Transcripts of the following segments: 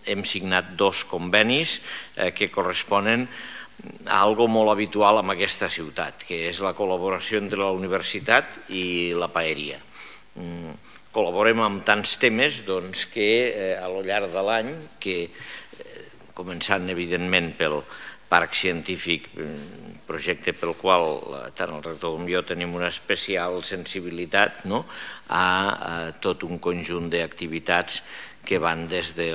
hem signat 2 convenis que corresponen a algo molt habitual en aquesta ciutat, que és la col·laboració entre la universitat i la paeria. Col·laborem amb tants temes que a lo llarg de l'any, començant evidentment pel Parc Científic, projecte pel qual tant el rector com jo tenim una especial sensibilitat, a tot un conjunt d'activitats que van des de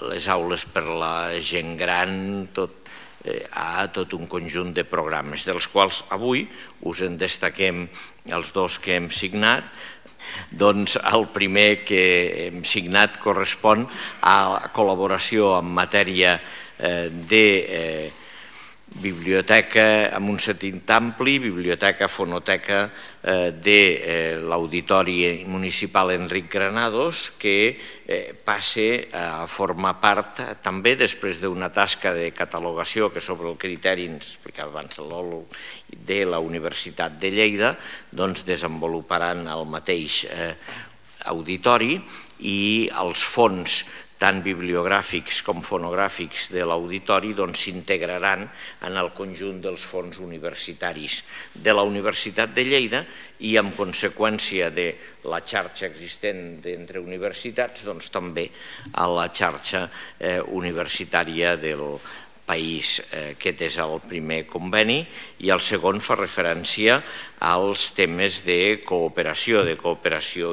les aules per la gent gran a tot un conjunt de programes, dels quals avui us en destaquem els 2 que hem signat. Doncs el primer que hem signat correspon a la col·laboració en matèria de biblioteca en un sentit ampli, biblioteca, fonoteca de l'Auditori Municipal Enric Granados, que passe a formar part també, després d'una tasca de catalogació que sobre el criteri, ens explicava abans l'Olo, de la Universitat de Lleida, doncs desenvoluparan el mateix auditori i els fons tant bibliogràfics com fonogràfics de l'auditori s'integraran en el conjunt dels fons universitaris de la Universitat de Lleida i, en conseqüència de la xarxa existent entre universitats, també a la xarxa universitària del país. Aquest és el primer conveni i el segon fa referència als temes de cooperació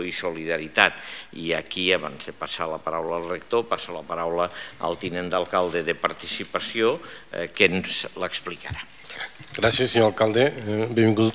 i solidaritat. I aquí, abans de passar la paraula al rector, passo la paraula al tinent d'alcalde de Participació, que ens l'explicarà. Gràcies, senyor alcalde. Benvingut